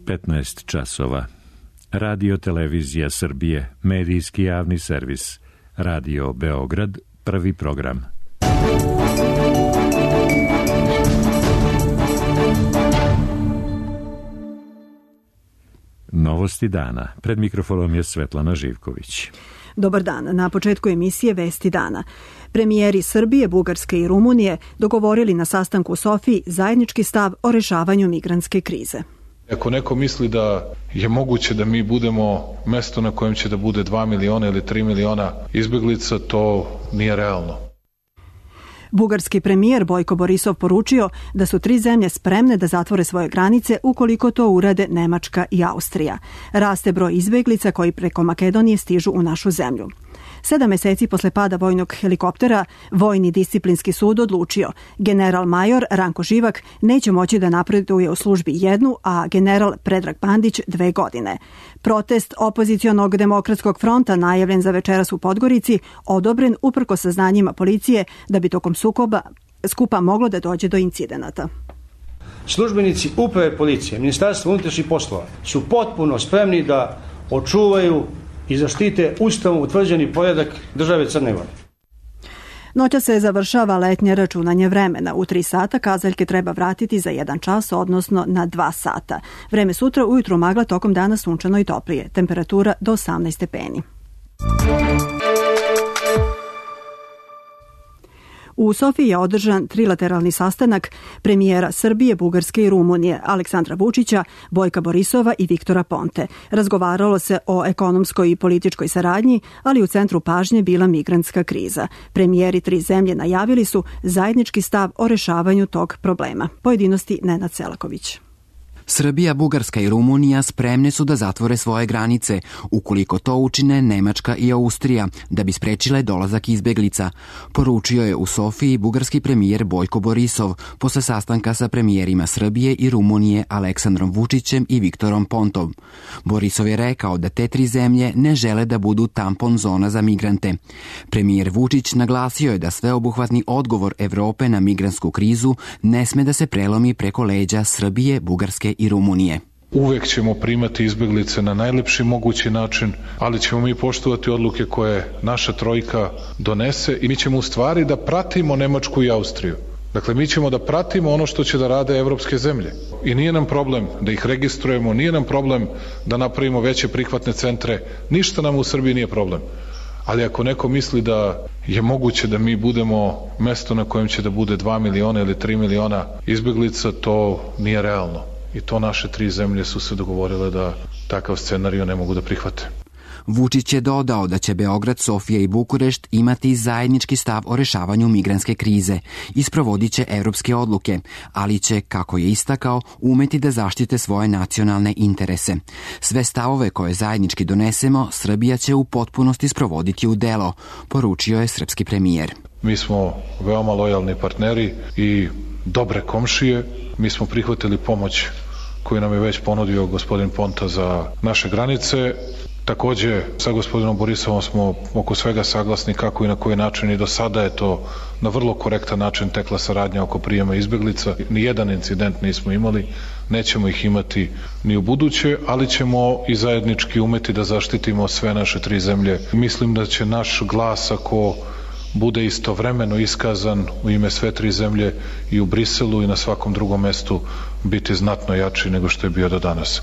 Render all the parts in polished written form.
15 časova. Radio Televizija Srbije, medijski javni servis. Radio Beograd, prvi program. Novosti dana. Pred mikrofonom je Svetlana Živković. Dobar dan. Na početku emisije Vesti dana. Premijeri Srbije, Bugarske i Rumunije dogovorili na sastanku u Sofiji zajednički stav o rešavanju migrantske krize. Ako neko misli da je moguće da mi budemo mesto na kojem će da bude 2 miliona ili 3 miliona izbeglica, to nije realno. Bugarski premijer Bojko Borisov poručio da su 3 zemlje spremne da zatvore svoje granice ukoliko to urade Nemačka i Austrija. Raste broj izbeglica koji preko Makedonije stižu u našu zemlju. 7 meseci posle pada vojnog helikoptera, Vojni disciplinski sud odlučio general major Ranko Živak neće moći da napreduje u službi 1, a general Predrag Bandić 2 godine. Protest opozicionog demokratskog fronta najavljen za večeras u Podgorici odobren uprkos saznanjima policije da bi tokom skupa moglo da dođe do incidenata. Službenici uprave policije, Ministarstva unutrašnjih poslova su potpuno spremni da očuvaju i zaštite ustavom utvrđeni poredak države Crne Gore. Noća se završava letnje računanje vremena. U 3 sata kazaljke treba vratiti za 1 čas, odnosno na 2 sata. Vreme sutra ujutru magla, tokom dana sunčano i toplije. Temperatura do 18 stepeni. U Sofiji je održan trilateralni sastanak premijera Srbije, Bugarske i Rumunije, Aleksandra Vučića, Bojka Borisova i Viktora Ponte. Razgovaralo se o ekonomskoj i političkoj saradnji, ali u centru pažnje bila migrantska kriza. Premijeri 3 zemlje najavili su zajednički stav o rešavanju tog problema. Pojedinosti Nenad Selaković. Srbija, Bugarska i Rumunija spremne su da zatvore svoje granice, ukoliko to učine Nemačka i Austrija, da bi sprečile dolazak izbeglica, poručio je u Sofiji bugarski premijer Bojko Borisov posle sastanka sa premijerima Srbije i Rumunije Aleksandrom Vučićem i Viktorom Pontom. Borisov je rekao da te 3 zemlje ne žele da budu tampon zona za migrante. Premijer Vučić naglasio je da sveobuhvatni odgovor Evrope na migrantsku krizu ne sme da se prelomi preko leđa Srbije, Bugarske i Rumunije. Uvek ćemo primati izbeglice na najlepši mogući način, ali ćemo mi poštovati odluke koje naša trojka donese i mi ćemo u stvari da pratimo Nemačku i Austriju. Dakle, mi ćemo da pratimo ono što će da rade evropske zemlje. I nije nam problem da ih registrujemo, nije nam problem da napravimo veće prihvatne centre, ništa nam u Srbiji nije problem. Ali ako neko misli da je moguće da mi budemo mesto na kojem će da bude 2 miliona ili 3 miliona izbeglica, to nije realno. I to naše 3 zemlje su se dogovorile da takav scenarij ne mogu da prihvate. Vučić je dodao da će Beograd, Sofija i Bukurešt imati zajednički stav o rešavanju migrantske krize i sprovodit će evropske odluke, ali će, kako je istakao, umeti da zaštite svoje nacionalne interese. Sve stavove koje zajednički donesemo, Srbija će u potpunosti sprovoditi u delo, poručio je srpski premijer. Mi smo veoma lojalni partneri i dobre komšije. Mi smo prihvatili pomoć koju nam je već ponudio gospodin Ponta za naše granice. Takođe, sa gospodinom Borisovom smo oko svega saglasni kako i na koji način i do sada je to na vrlo korektan način tekla saradnja oko prijema izbeglica. Nijedan incident nismo imali, nećemo ih imati ni u buduće, ali ćemo i zajednički umeti da zaštitimo sve naše 3 zemlje. Mislim da će naš glas, ako bude istovremeno iskazan u ime sve 3 zemlje i u Briselu i na svakom drugom mestu, biti znatno jači nego što je bio do danas.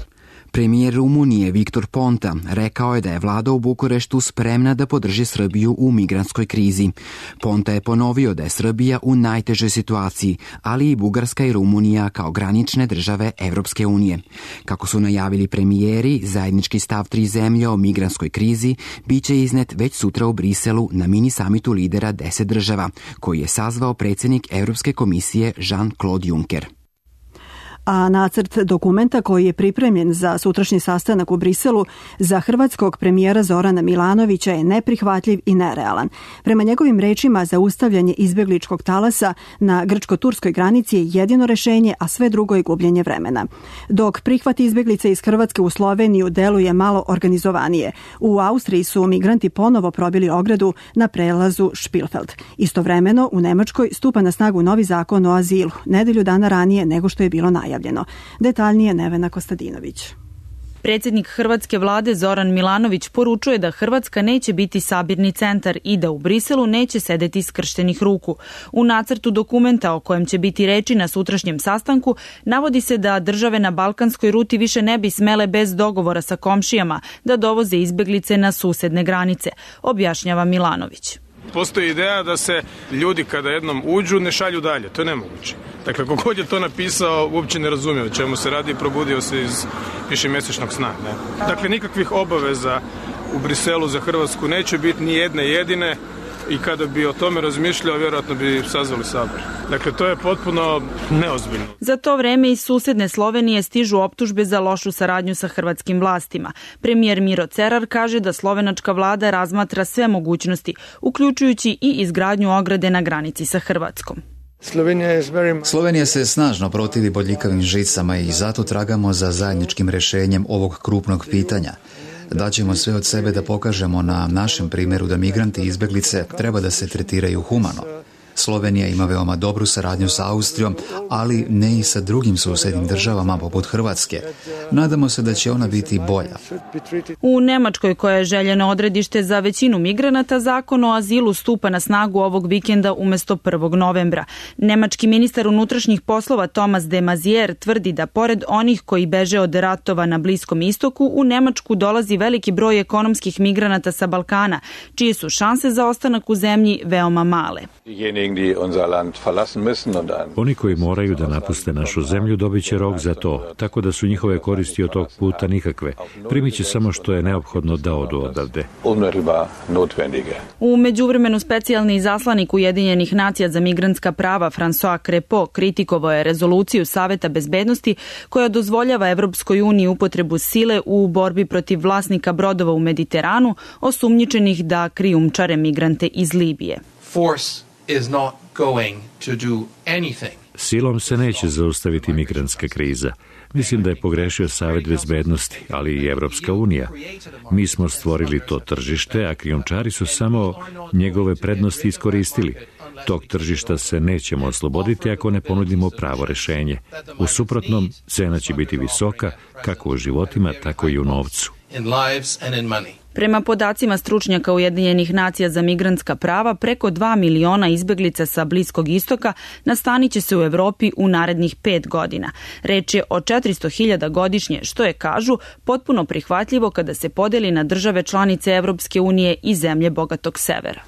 Premijer Rumunije Viktor Ponta rekao je da je vlada u Bukureštu spremna da podrži Srbiju u migrantskoj krizi. Ponta je ponovio da je Srbija u najtežoj situaciji, ali i Bugarska i Rumunija kao granične države Evropske unije. Kako su najavili premijeri, zajednički stav 3 zemlje o migrantskoj krizi biće iznet već sutra u Briselu na mini samitu lidera 10 država, koji je sazvao predsjednik Evropske komisije Jean-Claude Juncker. A nacrt dokumenta koji je pripremljen za sutrašnji sastanak u Briselu za hrvatskog premijera Zorana Milanovića je neprihvatljiv i nerealan. Prema njegovim rečima, zaustavljanje izbegličkog talasa na grčko-turskoj granici je jedino rešenje, a sve drugo je gubljenje vremena. Dok prihvat izbeglice iz Hrvatske u Sloveniju deluje malo organizovanije. U Austriji su migranti ponovo probili ogradu na prelazu Špilfeld. Istovremeno, u Nemačkoj stupa na snagu novi zakon o azilu, nedelju dana ranije nego što je bilo najavljeno. najavljeno. Detaljnije Nevena Kostadinović. Predsjednik Hrvatske vlade Zoran Milanović poručuje da Hrvatska neće biti sabirni centar i da u Briselu neće sedeti skrštenih ruku. U nacrtu dokumenta o kojem će biti reči na sutrašnjem sastanku navodi se da države na balkanskoj ruti više ne bi smele bez dogovora sa komšijama da dovoze izbeglice na susedne granice, objašnjava Milanović. Postoji ideja da se ljudi kada jednom uđu ne šalju dalje, to je nemoguće. Dakle, kogod je to napisao uopće ne razumije o čemu se radi i probudio se iz višemjesečnog sna. Ne? Dakle, nikakvih obaveza u Briselu za Hrvatsku neće biti ni jedne jedine i kada bi o tome razmišljao, vjerojatno bi sazvali sabor. Dakle, to je potpuno neozbiljno. Za to vreme iz susedne Slovenije stižu optužbe za lošu saradnju sa hrvatskim vlastima. Premijer Miro Cerar kaže da slovenačka vlada razmatra sve mogućnosti, uključujući i izgradnju ograde na granici sa Hrvatskom. Slovenija se snažno protivi bodljikavim žicama i zato tragamo za zajedničkim rješenjem ovog krupnog pitanja. Daćemo sve od sebe da pokažemo na našem primjeru da migranti i izbjeglice treba da se tretiraju humano. Slovenija ima veoma dobru saradnju sa Austrijom, ali ne i sa drugim susjednim državama poput Hrvatske. Nadamo se da će ona biti bolja. U Nemačkoj, koja je željeno odredište za većinu migranata, zakon o azilu stupa na snagu ovog vikenda umjesto 1. novembra. Nemački ministar unutrašnjih poslova Thomas de Maizière tvrdi da pored onih koji beže od ratova na Bliskom istoku, u Nemačku dolazi veliki broj ekonomskih migranata sa Balkana, čije su šanse za ostanak u zemlji veoma male. Oni koji moraju da napuste našu zemlju dobit će rok za to, tako da su njihove koristi od tog puta nikakve. Primit će samo što je neophodno da odu odavde. U međuvremenu specijalni izaslanik Ujedinjenih nacija za migrantska prava François Crépeau kritikovao je rezoluciju Saveta bezbednosti koja dozvoljava Evropskoj uniji upotrebu sile u borbi protiv vlasnika brodova u Mediteranu, osumnjičenih da krijumčare migrante iz Libije. Silom se neće zaustaviti migrantska kriza. Mislim da je pogrešio Savet bezbednosti, ali i Evropska unija. Mi smo stvorili to tržište, a krijumčari su samo njegove prednosti iskoristili. Tog tržišta se nećemo osloboditi ako ne ponudimo pravo rešenje. U suprotnom, cena će biti visoka, kako u životima, tako i u novcu. Prema podacima stručnjaka Ujedinjenih nacija za migrantska prava, preko 2 miliona izbeglica sa Bliskog istoka nastanit će se u Evropi u narednih 5 godina. Reč je o 400.000 godišnje, što je, kažu, potpuno prihvatljivo kada se podeli na države članice Evropske unije i zemlje bogatog severa.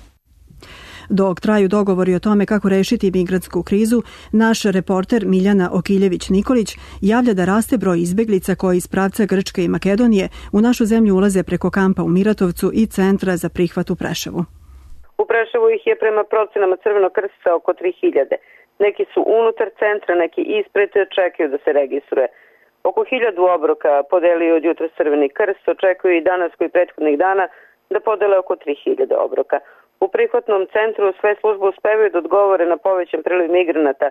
Dok traju dogovori o tome kako rešiti migrantsku krizu, naš reporter Miljana Okiljević-Nikolić javlja da raste broj izbeglica koji iz pravca Grčke i Makedonije u našu zemlju ulaze preko kampa u Miratovcu i centra za prihvat u Preševu. U Preševu ih je prema procenama Crvenog krsta oko 3000. Neki su unutar centra, neki ispred, čekaju da se registruje. Oko 1000 obroka podelio od jutra Crveni krst, očekuju i danas koji prethodnih dana da podele oko 3000 obroka. U prihvatnom centru sve službe uspevaju da odgovore na povećan priliv migranata,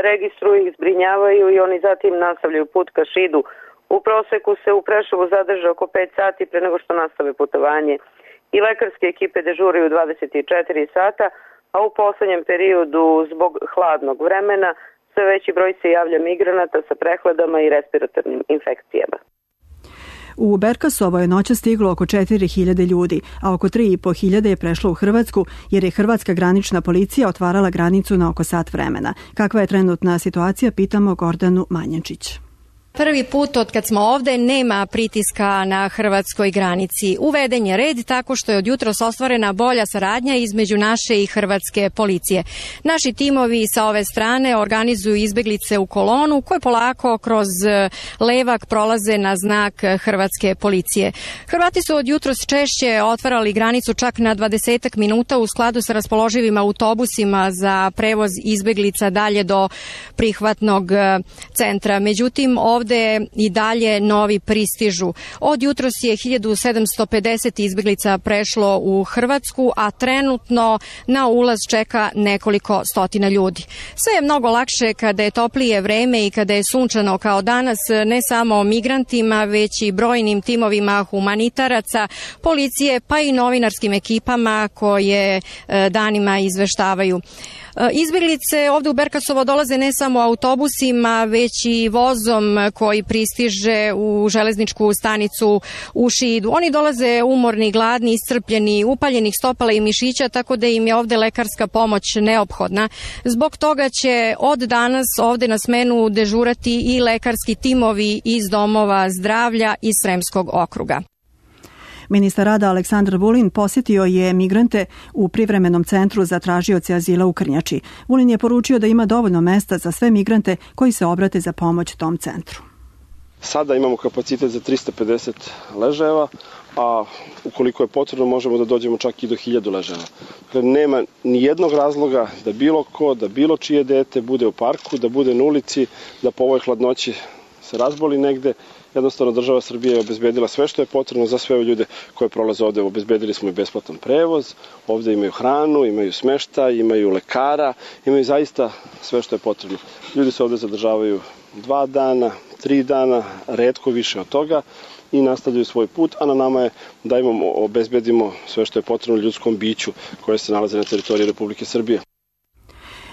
registruju ih, zbrinjavaju i oni zatim nastavljaju put ka Šidu. U proseku se u Preševu zadrže oko 5 sati pre nego što nastave putovanje. I lekarske ekipe dežuraju 24 sata, a u poslednjem periodu zbog hladnog vremena sve veći broj se javlja migranata sa prehladama i respiratornim infekcijama. U Berkasovo je noća stiglo oko 4.000 ljudi, a oko 3.500 je prešlo u Hrvatsku jer je hrvatska granična policija otvarala granicu na oko sat vremena. Kakva je trenutna situacija, pitamo Gordanu Manjančić. Prvi put od kad smo ovde nema pritiska na hrvatskoj granici. Uveden je red tako što je od jutros ostvarena bolja saradnja između naše i hrvatske policije. Naši timovi sa ove strane organizuju izbeglice u kolonu koje polako kroz levak prolaze na znak hrvatske policije. Hrvati su od jutros češće otvarali granicu čak na 20 minuta u skladu sa raspoloživim autobusima za prevoz izbeglica dalje do prihvatnog centra. Međutim, ovde i dalje novi pristižu. Od jutros je 1750 izbeglica prešlo u Hrvatsku, a trenutno na ulaz čeka nekoliko stotina ljudi. Sve je mnogo lakše kada je toplije vreme i kada je sunčano kao danas, ne samo migrantima, već i brojnim timovima humanitaraca, policije, pa i novinarskim ekipama koje danima izveštavaju. Izbjeglice ovde u Berkasovo dolaze ne samo autobusima, već i vozom koji pristiže u železničku stanicu u Šidu. Oni dolaze umorni, gladni, iscrpljeni, upaljenih stopala i mišića, tako da im je ovde lekarska pomoć neophodna. Zbog toga će od danas ovde na smenu dežurati i lekarski timovi iz domova zdravlja iz Sremskog okruga. Ministar rada Aleksandar Vulin posjetio je migrante u privremenom centru za tražioce azila u Krnjači. Vulin je poručio da ima dovoljno mesta za sve migrante koji se obrate za pomoć tom centru. Sada imamo kapacitet za 350 ležajeva, a ukoliko je potrebno možemo da dođemo čak i do 1000 ležajeva. Dakle, nema ni jednog razloga da bilo ko, da bilo čije dete bude u parku, da bude na ulici, da po ovoj hladnoći se razboli negde. Jednostavno država Srbije je obezbedila sve što je potrebno za sve ljude koje prolaze ovde. Obezbedili smo i besplatan prevoz, ovde imaju hranu, imaju smeštaj, imaju lekara, imaju zaista sve što je potrebno. Ljudi se ovde zadržavaju 2 dana, 3 dana, retko više od toga i nastavljaju svoj put, a na nama je da im obezbedimo sve što je potrebno ljudskom biću koje se nalaze na teritoriji Republike Srbije.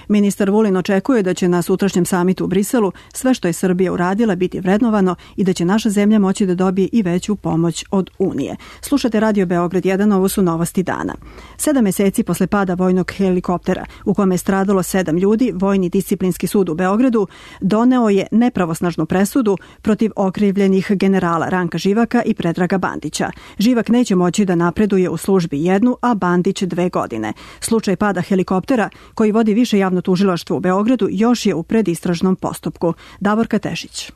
Ministar Vulin očekuje da će na sutrašnjem samitu u Briselu sve što je Srbija uradila biti vrednovano i da će naša zemlja moći da dobije i veću pomoć od Unije. Slušate Radio Beograd 1, ovo su novosti dana. 7 meseci posle pada vojnog helikoptera u kome je stradalo 7 ljudi, Vojni disciplinski sud u Beogradu doneo je nepravosnažnu presudu protiv okrivljenih generala Ranka Živaka i Predraga Bandića. Živak neće moći da napreduje u službi 1, a Bandić 2 godine. Slučaj pada helikoptera koji vodi više javno tužilaštvo u Beogradu još je u predistražnom postupku. Davorka Tešić.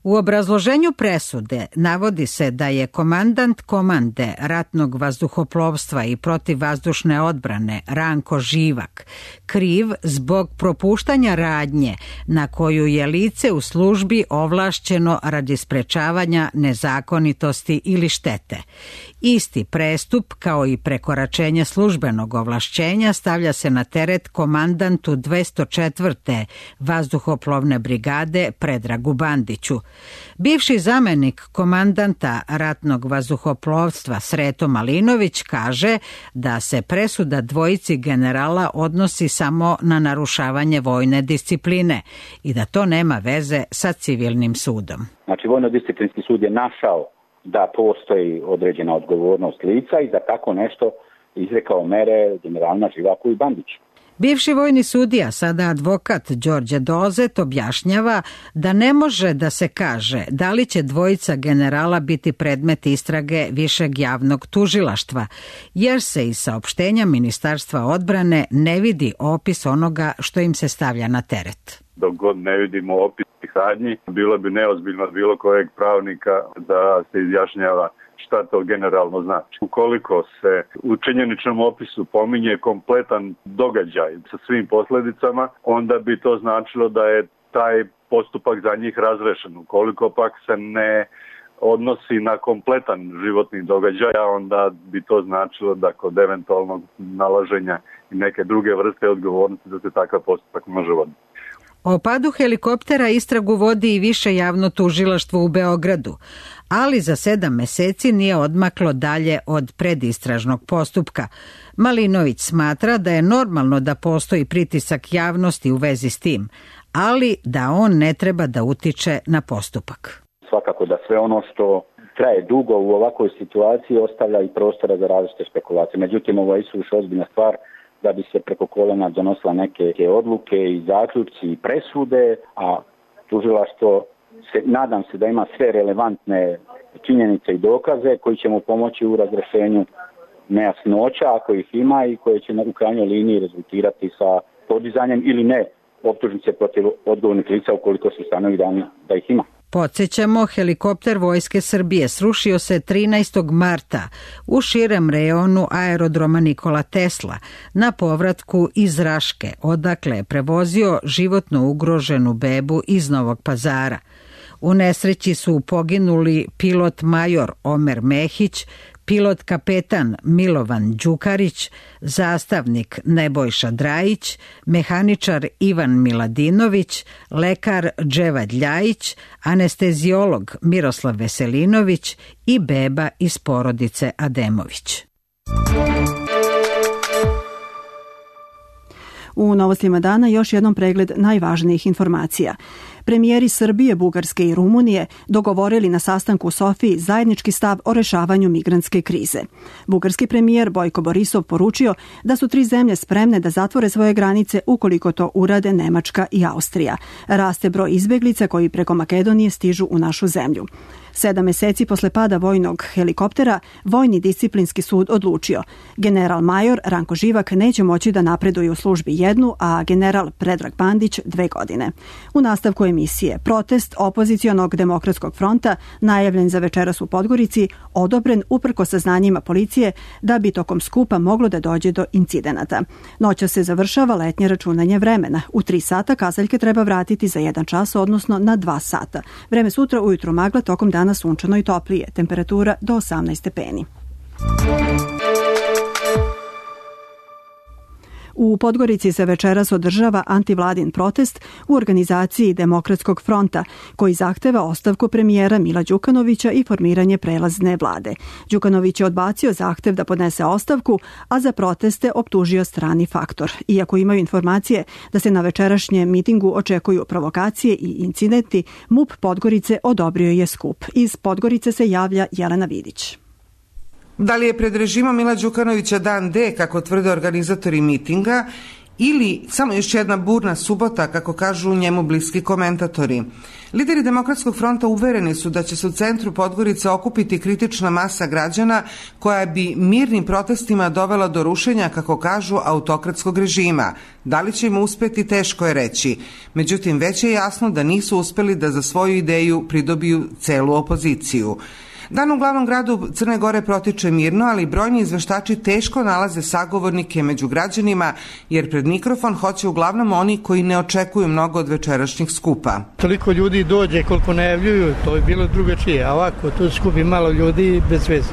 U obrazloženju presude navodi se da je komandant komande ratnog vazduhoplovstva i protivvazdušne odbrane Ranko Živak kriv zbog propuštanja radnje na koju je lice u službi ovlašćeno radi sprečavanja nezakonitosti ili štete. Isti prestup, kao i prekoračenje službenog ovlašćenja, stavlja se na teret komandantu 204. vazduhoplovne brigade Predragu Bandiću. Bivši zamenik komandanta ratnog vazduhoplovstva Sreto Malinović kaže da se presuda dvojici generala odnosi samo na narušavanje vojne discipline i da to nema veze sa civilnim sudom. Znači, vojno-disciplinski sud je našao da postoji određena odgovornost lica i za tako nešto izrekao mere generalima Živaku i Bandiću. Bivši vojni sudija, sada advokat Đorđe Dozet, objašnjava da ne može da se kaže da li će dvojica generala biti predmet istrage višeg javnog tužilaštva, jer se iz saopštenja Ministarstva odbrane ne vidi opis onoga što im se stavlja na teret. Dok god ne vidimo opis radnji, bilo bi neozbiljno od bilo kojeg pravnika da se izjašnjava šta to generalno znači. Ukoliko se u činjeničnom opisu pominje kompletan događaj sa svim posledicama, onda bi to značilo da je taj postupak za njih razrešen. Ukoliko pak se ne odnosi na kompletan životni događaj, onda bi to značilo da kod eventualnog nalaženja i neke druge vrste odgovornosti da se takav postupak može voditi. O padu helikoptera istragu vodi i više javno tužilaštvo u Beogradu, ali za 7 meseci nije odmaklo dalje od predistražnog postupka. Malinović smatra da je normalno da postoji pritisak javnosti u vezi s tim, ali da on ne treba da utiče na postupak. Svakako da sve ono što traje dugo u ovakvoj situaciji ostavlja i prostora za različite spekulacije. Međutim, ovo je isuviše ozbiljna stvar da bi se preko kolena donosila neke odluke i zaključci i presude, a tužilaštvo nadam se da ima sve relevantne činjenice i dokaze koji će mu pomoći u razrešenju nejasnoća ako ih ima i koje će u krajnjoj liniji rezultirati sa podizanjem ili ne optužnice protiv odgovornih lica ukoliko se ustanovi da ih ima. Podsjećamo, helikopter Vojske Srbije srušio se 13. marta u širem rejonu aerodroma Nikola Tesla na povratku iz Raške, odakle je prevozio životno ugroženu bebu iz Novog Pazara. U nesreći su poginuli pilot major Omer Mehić, pilot kapetan Milovan Đukarić, zastavnik Nebojša Drajić, mehaničar Ivan Miladinović, lekar Dževad Ljajić, anestezijolog Miroslav Veselinović i beba iz porodice Ademović. U novostima dana još jednom pregled najvažnijih informacija. Premijeri Srbije, Bugarske i Rumunije dogovorili na sastanku u Sofiji zajednički stav o rešavanju migrantske krize. Bugarski premijer Bojko Borisov poručio da su 3 zemlje spremne da zatvore svoje granice ukoliko to urade Nemačka i Austrija. Raste broj izbeglica koji preko Makedonije stižu u našu zemlju. 7 meseci posle pada vojnog helikoptera, Vojni disciplinski sud odlučio. General major Ranko Živak neće moći da napreduje u službi 1, a general Predrag Bandić 2 godine. U nastavku emisije protest opozicionog demokratskog fronta, najavljen za večeras u Podgorici, odobren uprkos saznanjima policije da bi tokom skupa moglo da dođe do incidenata. Noća se završava letnje računanje vremena. U 3 sata kazaljke treba vratiti za 1 čas, odnosno na 2 sata. Vreme sutra ujutru magla, tokom dana sunčano i toplije, temperatura do 18 stepeni. U Podgorici se večeras održava antivladin protest u organizaciji Demokratskog fronta, koji zahteva ostavku premijera Mila Đukanovića i formiranje prelazne vlade. Đukanović je odbacio zahtev da podnese ostavku, a za proteste optužio strani faktor. Iako imaju informacije da se na večerašnjem mitingu očekuju provokacije i incidenti, MUP Podgorice odobrio je skup. Iz Podgorice se javlja Jelena Vidić. Da li je pred režimom Mila Đukanovića dan D, kako tvrde organizatori mitinga, ili samo još jedna burna subota, kako kažu njemu bliski komentatori? Lideri Demokratskog fronta uvereni su da će se u centru Podgorice okupiti kritična masa građana koja bi mirnim protestima dovela do rušenja, kako kažu, autokratskog režima. Da li će im uspeti, teško je reći. Međutim, već je jasno da nisu uspeli da za svoju ideju pridobiju celu opoziciju. Dan u glavnom gradu Crne Gore protiče mirno, ali brojni izveštači teško nalaze sagovornike među građanima, jer pred mikrofon hoće uglavnom oni koji ne očekuju mnogo od večerašnjih skupa. Toliko ljudi dođe koliko najavljuju, to je bilo drugačije, a ovako tu skupi malo ljudi bez veze.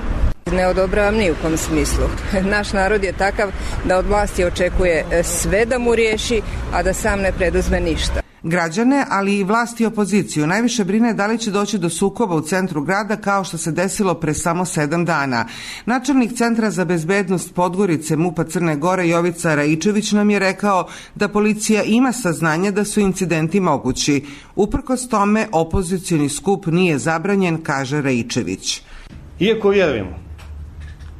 Ne odobravam ni u kom smislu. Naš narod je takav da od vlasti očekuje sve da mu riješi, a da sam ne preduzme ništa. Građane, ali i vlast i opoziciju najviše brine da li će doći do sukoba u centru grada, kao što se desilo pre samo 7 dana. Načelnik Centra za bezbednost Podgorice MUP-a Crne Gore Jovica Raičević nam je rekao da policija ima saznanje da su incidenti mogući. Uprkos tome, opozicioni skup nije zabranjen, kaže Raičević. Iako vjerujemo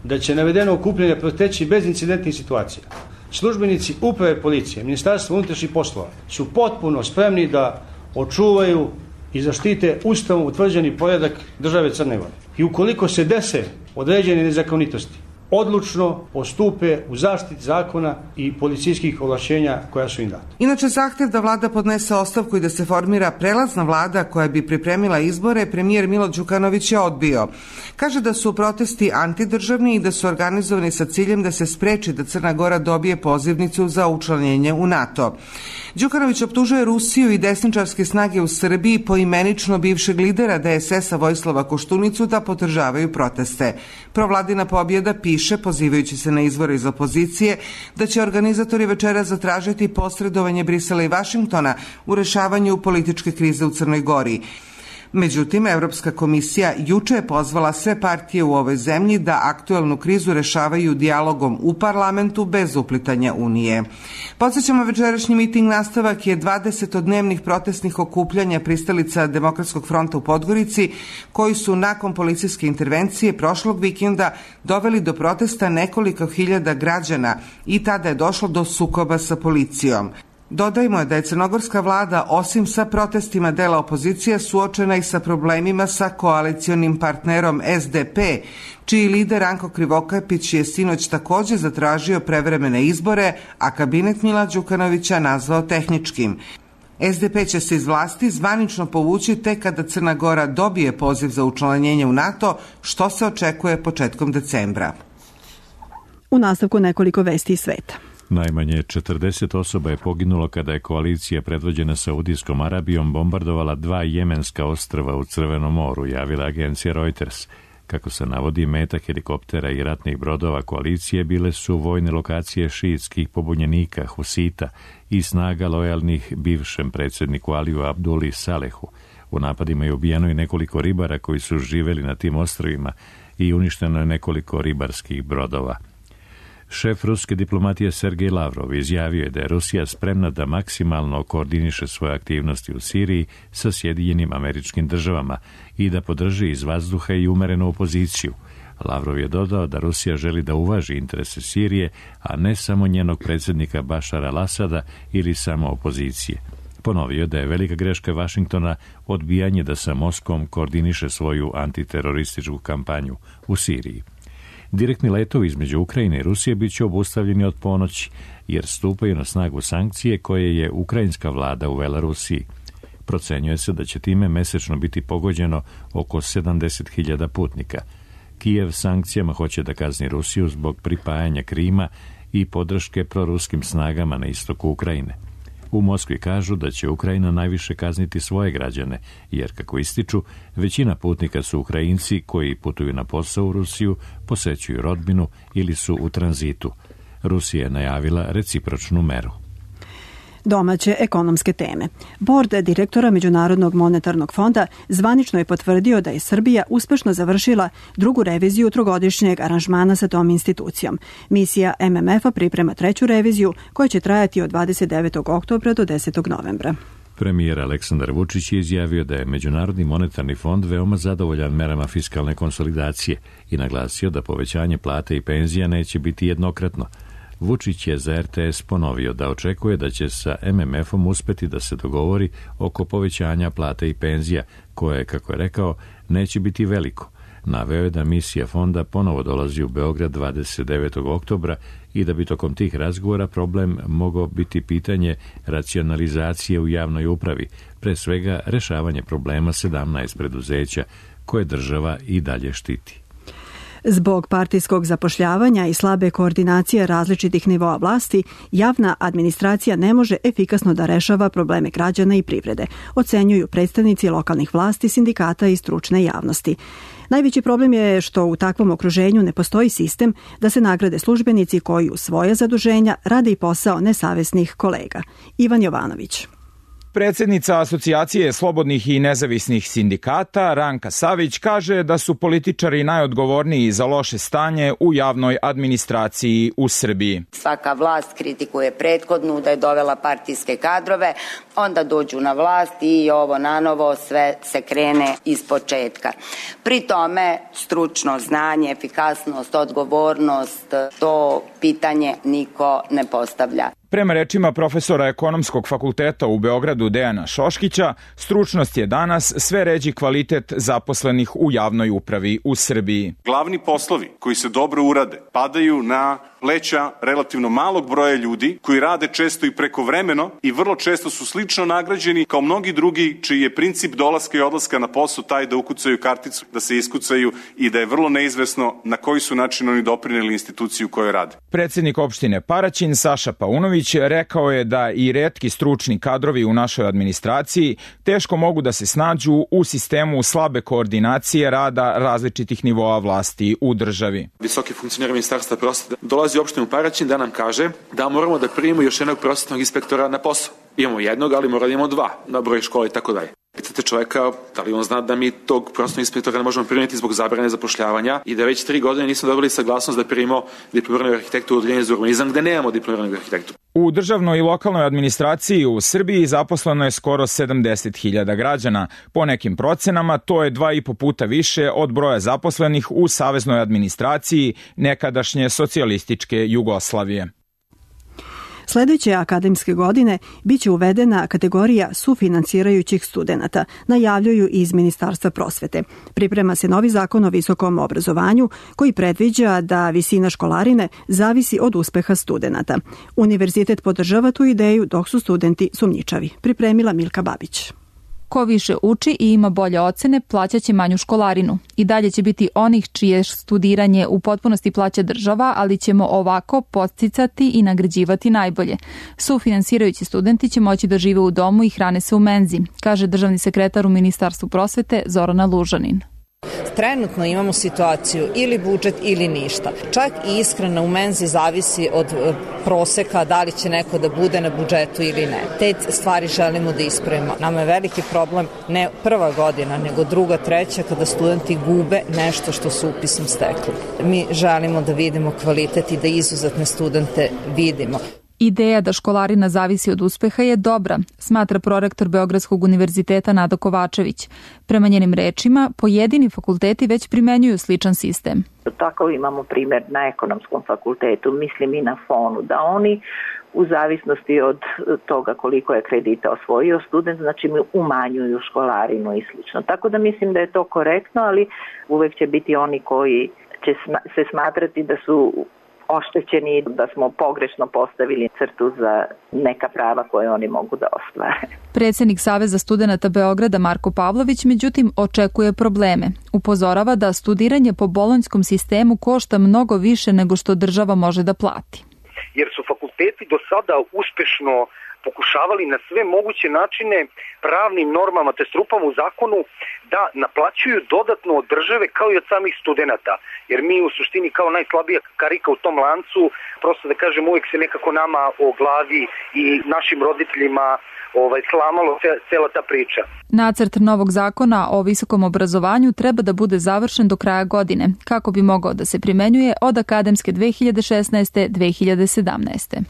da će navedeno okupljanje proteći bez incidentnih situacija, službenici uprave policije, Ministarstva unutrašnjih poslova su potpuno spremni da očuvaju i zaštite ustavom utvrđeni poredak države Crne Gore. I ukoliko se dese određene nezakonitosti, odlučno postupe u zaštiti zakona i policijskih ovlašćenja koja su im data. Inače, zahtev da vlada podnese ostavku i da se formira prelazna vlada koja bi pripremila izbore, premijer Milo Đukanović je odbio. Kaže da su protesti antidržavni i da su organizovani sa ciljem da se spreči da Crna Gora dobije pozivnicu za učlanjenje u NATO. Đukanović optužuje Rusiju i desničarske snage u Srbiji, poimenično bivšeg lidera DSS-a Vojislava Koštunicu, da podržavaju proteste. Provladina pobjeda piše, pozivajući se na izvore iz opozicije, da će organizatori večera zatražiti posredovanje Brisela i Vašingtona u rešavanju političke krize u Crnoj Gori. Međutim, Evropska komisija juče je pozvala sve partije u ovoj zemlji da aktuelnu krizu rešavaju dijalogom u parlamentu bez uplitanja Unije. Podsjećamo, večerašnji miting nastavak je 20-dnevnih protestnih okupljanja pristalica Demokratskog fronta u Podgorici, koji su nakon policijske intervencije prošlog vikenda doveli do protesta nekoliko hiljada građana i tada je došlo do sukoba sa policijom. Dodajmo da je crnogorska vlada, osim sa protestima dela opozicije, suočena i sa problemima sa koalicionim partnerom SDP, čiji lider Ranko Krivokapić je sinoć također zatražio prevremene izbore, a kabinet Mila Đukanovića nazvao tehničkim. SDP će se iz vlasti zvanično povući tek kada Crna Gora dobije poziv za učlanjenje u NATO, što se očekuje početkom decembra. U nastavku nekoliko vesti iz sveta. Najmanje 40 osoba je poginulo kada je koalicija predvođena Saudijskom Arabijom bombardovala 2 jemenska ostrva u Crvenom moru, javila agencija Reuters. Kako se navodi, meta helikoptera i ratnih brodova koalicije bile su vojne lokacije šiitskih pobunjenika Husita i snaga lojalnih bivšem predsjedniku Aliju Abduli Salehu. U napadima je ubijeno i nekoliko ribara koji su živjeli na tim ostrvima i uništeno je nekoliko ribarskih brodova. Šef ruske diplomatije Sergej Lavrov izjavio je da je Rusija spremna da maksimalno koordiniše svoje aktivnosti u Siriji sa Sjedinjenim Američkim Državama i da podrži iz vazduha i umerenu opoziciju. Lavrov je dodao da Rusija želi da uvaži interese Sirije, a ne samo njenog predsjednika Bašara al-Asada ili samo opozicije. Ponovio da je velika greška Vašingtona odbijanje da sa Moskvom koordiniše svoju antiterorističku kampanju u Siriji. Direktni letovi između Ukrajine i Rusije bit će obustavljeni od ponoći, jer stupaju na snagu sankcije koje je ukrajinska vlada uvela Rusiji. Procenjuje se da će time mesečno biti pogođeno oko 70.000 putnika. Kijev sankcijama hoće da kazni Rusiju zbog pripajanja Krima i podrške proruskim snagama na istoku Ukrajine. U Moskvi kažu da će Ukrajina najviše kazniti svoje građane, jer, kako ističu, većina putnika su Ukrajinci koji putuju na posao u Rusiju, posećuju rodbinu ili su u tranzitu. Rusija je najavila recipročnu meru. Domaće ekonomske teme. Bord direktora Međunarodnog monetarnog fonda zvanično je potvrdio da je Srbija uspešno završila drugu reviziju trogodišnjeg aranžmana sa tom institucijom. Misija MMF-a priprema treću reviziju koja će trajati od 29. oktobra do 10. novembra. Premijer Aleksandar Vučić je izjavio da je Međunarodni monetarni fond veoma zadovoljan merama fiskalne konsolidacije i naglasio da povećanje plata i penzija neće biti jednokratno. Vučić je za RTS ponovio da očekuje da će sa MMF-om uspeti da se dogovori oko povećanja plata i penzija, koje, kako je rekao, neće biti veliko. Naveo je da misija fonda ponovo dolazi u Beograd 29. oktobra i da bi tokom tih razgovora problem mogao biti pitanje racionalizacije u javnoj upravi, pre svega rešavanje problema 17 preduzeća koje država i dalje štiti. Zbog partijskog zapošljavanja i slabe koordinacije različitih nivoa vlasti, javna administracija ne može efikasno da rešava probleme građana i privrede, ocenjuju predstavnici lokalnih vlasti, sindikata i stručne javnosti. Najveći problem je što u takvom okruženju ne postoji sistem da se nagrade službenici koji u svoja zaduženja rade i posao nesavesnih kolega. Ivan Jovanović. Predsjednica Asocijacije slobodnih i nezavisnih sindikata Ranka Savić kaže da su političari najodgovorniji za loše stanje u javnoj administraciji u Srbiji. Svaka vlast kritikuje prethodnu da je dovela partijske kadrove, onda dođu na vlast i ovo nanovo sve se krene ispočetka. Pri tome stručno znanje, efikasnost, odgovornost, to pitanje niko ne postavlja. Prema rečima profesora ekonomskog fakulteta u Beogradu Dejana Šoškića, stručnost je danas sve ređi kvalitet zaposlenih u javnoj upravi u Srbiji. Glavni poslovi koji se dobro urade padaju na pleća relativno malog broja ljudi koji rade često i prekovremeno i vrlo često su slično nagrađeni kao mnogi drugi čiji je princip dolaska i odlaska na posao taj da ukucaju karticu, da se iskucaju i da je vrlo neizvesno na koji su način oni doprineli instituciju u kojoj rade. Predsjednik opštine Paraćin Saša Paunović rekao je da i retki stručni kadrovi u našoj administraciji teško mogu da se snađu u sistemu slabe koordinacije rada različitih nivoa vlasti u državi. Visoki funkcioner ministarstva prosvete dolazi u opštinu Paraćin da nam kaže da moramo da primimo još jednog prosvetnog inspektora na posao. Imamo jednog, ali moramo da imamo dva na broj škole i tako dalje. Pitate čoveka da li on zna da mi tog prosvetnog inspektora ne možemo primiti zbog zabrane zapošljavanja i da već 3 godine nismo dobili saglasnost da primimo diplomiranog arhitektu u odeljenju za urbanizam gde nemamo diplomiranog arhitektu. U državnoj i lokalnoj administraciji u Srbiji zaposleno je skoro 70.000 građana. Po nekim procenama to je 2,5 puta više od broja zaposlenih u saveznoj administraciji nekadašnje socijalističke Jugoslavije. Sljedeće akademske godine biće uvedena kategorija sufinansirajućih studenata, najavljuju iz Ministarstva prosvete. Priprema se novi zakon o visokom obrazovanju koji predviđa da visina školarine zavisi od uspeha studenata. Univerzitet podržava tu ideju dok su studenti sumnjičavi. Pripremila Milka Babić. Ko više uči i ima bolje ocene, plaćaće manju školarinu. I dalje će biti onih čije studiranje u potpunosti plaća država, ali ćemo ovako podsticati i nagrađivati najbolje. Sufinansirajući studenti će moći da žive u domu i hrane se u menzi, kaže državni sekretar u Ministarstvu prosvete Zorana Lužanin. Trenutno imamo situaciju ili budžet ili ništa. Čak i ishrana u menzi zavisi od proseka da li će neko da bude na budžetu ili ne. Te stvari želimo da ispravimo. Nama je veliki problem ne prva godina, nego druga, treća, kada studenti gube nešto što su upisom stekli. Mi želimo da vidimo kvalitet i da izuzetne studente vidimo. Ideja da školarina zavisi od uspeha je dobra, smatra prorektor Beogradskog univerziteta Nada Kovačević. Prema njenim rečima, pojedini fakulteti već primenjuju sličan sistem. Tako imamo primjer na ekonomskom fakultetu, mislim i na FON-u, da oni u zavisnosti od toga koliko je kredita osvojio student, znači mi umanjuju školarinu i slično. Tako da mislim da je to korektno, ali uvek će biti oni koji će se smatrati da su oštećeni, da smo pogrešno postavili crtu za neka prava koje oni mogu da ostvare. Predsjednik Saveza studenata Beograda Marko Pavlović međutim očekuje probleme. Upozorava da studiranje po bolonjskom sistemu košta mnogo više nego što država može da plati. Jer su fakulteti do sada uspešno pokušavali na sve moguće načine pravnim normama te strupama u zakonu da naplaćuju dodatno od države kao i od samih studenata. Jer mi u suštini kao najslabija karika u tom lancu, prosto da kažem, uvijek se nekako nama o glavi i našim roditeljima slamalo cela ta priča. Nacrt novog zakona o visokom obrazovanju treba da bude završen do kraja godine, kako bi mogao da se primenjuje od akademske 2016-2017.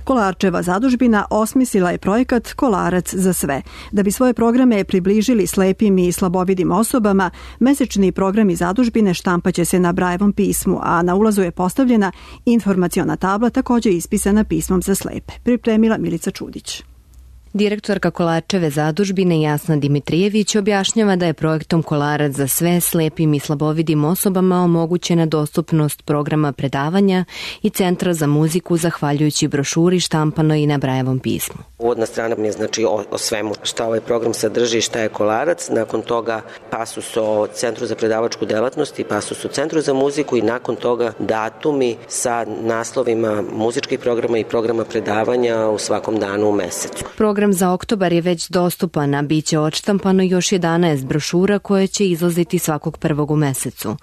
Kolarčeva zadužbina osmislila je projekat Kolarac za sve. Da bi svoje programe približili slepim i slabovidim osobama, mesečni programi zadužbine štampaće se na Brajevom pismu, a na ulazu je postavljena informaciona tabla također ispisana pismom za slepe. Pripremila Milica Čudić. Direktorka Kolarčeve zadužbine Jasna Dimitrijević objašnjava da je projektom Kolarac za sve slepim i slabovidim osobama omogućena dostupnost programa predavanja i Centra za muziku zahvaljujući brošuri štampanoj i na Brajevom pismu. Uvodna strana mi je o svemu šta ovaj program sadrži i šta je Kolarac, nakon toga pasus o Centru za predavačku delatnost i pasus o Centru za muziku i nakon toga datumi sa naslovima muzičkih programa i programa predavanja u svakom danu u mesecu. Program za oktobar je već dostupan, a bit će odštampano još 11 brošura koje će izlaziti svakog prvog u mesecu.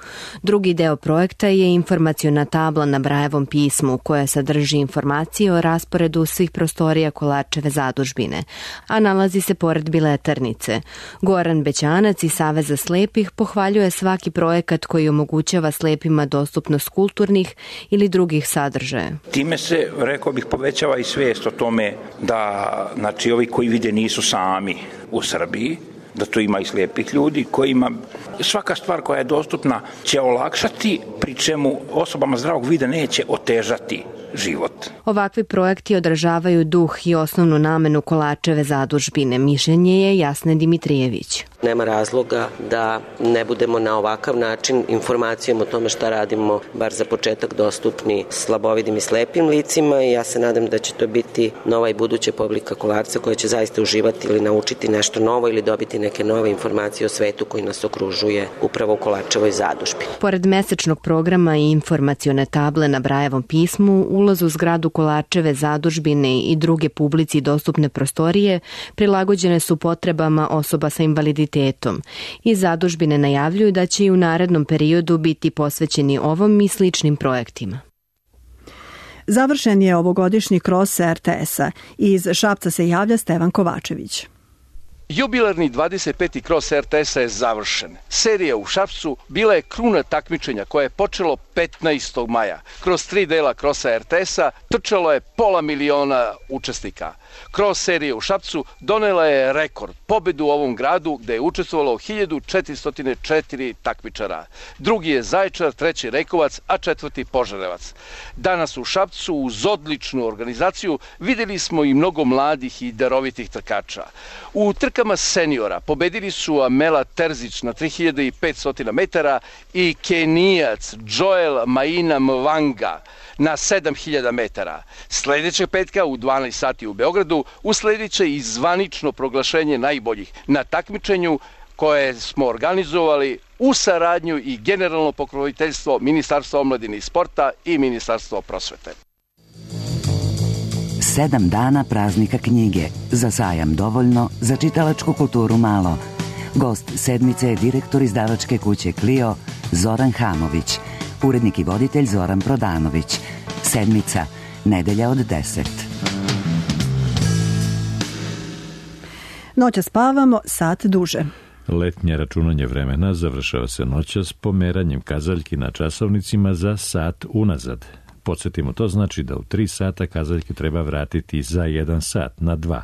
Drugi deo projekta je informaciona tabla na Brajevom pismu koja sadrži informacije o rasporedu svih prostorija Kolarčeve zadužbine, a nalazi se pored biletarnice. Goran Bećanac iz Saveza slepih pohvaljuje svaki projekat koji omogućava slepima dostupnost kulturnih ili drugih sadržaja. Time se, rekao bih, povećava i svijest o tome da, znači, ovi koji vide nisu sami u Srbiji, da tu ima i slijepih ljudi kojima svaka stvar koja je dostupna će olakšati, pri čemu osobama zdravog vida neće otežati život. Ovakvi projekti odražavaju duh i osnovnu namenu Kolarčeve zadužbine. Mišljenje je Jasne Dimitrijević. Nema razloga da ne budemo na ovakav način informacijom o tome šta radimo, bar za početak, dostupni slabovidim i slepim licima i ja se nadam da će to biti nova i buduća publika Kolarca koja će zaista uživati ili naučiti nešto novo ili dobiti neke nove informacije o svetu koji nas okružuje upravo u Kolarčevoj zadužbi. Pored mesečnog programa i informacione table na Brajevom pismu, ulaz u zgradu Kolarčeve zadužbine i druge publici dostupne prostorije prilagođene su potrebama osoba sa invaliditetom. I zadužbine najavljuju da će i u narednom periodu biti posvećeni ovom i sličnim projektima. Završen je ovogodišnji kros RTS-a. Iz Šapca se javlja Stevan Kovačević. Jubilarni 25. kros RTS-a je završen. Serija u Šapcu bila je kruna takmičenja koje je počelo 15. maja. Kroz 3 dela krosa RTS-a trčalo je 500.000 učesnika. Kros serije u Šapcu donela je rekord, pobedu u ovom gradu gde je učestvovalo 1404 takmičara. Drugi je Zaječar, treći Rekovac, a četvrti Požarevac. Danas u Šapcu uz odličnu organizaciju videli smo i mnogo mladih i darovitih trkača. U trkama seniora pobedili su Amela Terzić na 3500 metara i Kenijac Joel Maina Mwanga na 7000 metara. Sljedećeg petka u 12 sati u Beogradu usledit će i zvanično proglašenje najboljih na takmičenju koje smo organizovali u saradnju i generalno pokroviteljstvo Ministarstva omladine i sporta i Ministarstva prosvete. 7 dana praznika knjige. Za sajam dovoljno, za čitalačku kulturu malo. Gost sedmice je direktor izdavačke kuće Clio Zoran Hamović, urednik i voditelj Zoran Prodanović. Sedmica, nedelja od 10. Noća spavamo sat duže. Letnje računanje vremena završava se noćas pomeranjem kazaljki na časovnicima za sat unazad. Podsjetimo, to znači da u 3 sata kazaljke treba vratiti za 1 sat na 2.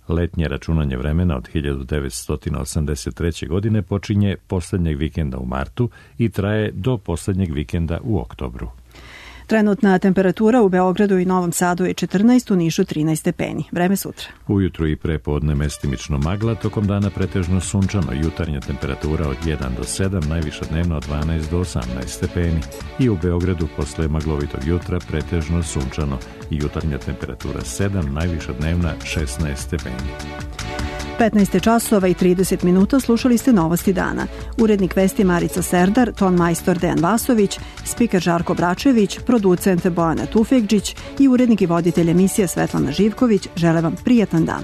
Letnje računanje vremena od 1983. godine počinje posljednjeg vikenda u martu i traje do posljednjeg vikenda u oktobru. Trenutna temperatura u Beogradu i Novom Sadu je 14, u Nišu 13 stepeni. Vreme sutra. Ujutru i prepodne mestimično magla, tokom dana pretežno sunčano, jutarnja temperatura od 1 do 7, najviša dnevno od 12 do 18 stepeni. I u Beogradu posle maglovitog jutra pretežno sunčano i jutarnja temperatura 7, najviša dnevna 16 stepeni. 15 časova i 30 minuta slušali ste novosti dana. Urednik vesti Marica Serdar, ton majstor Dejan Vasović, spiker Žarko Bračević, producent Bojana Tufekđić i urednik i voditelj emisije Svetlana Živković žele vam prijatan dan.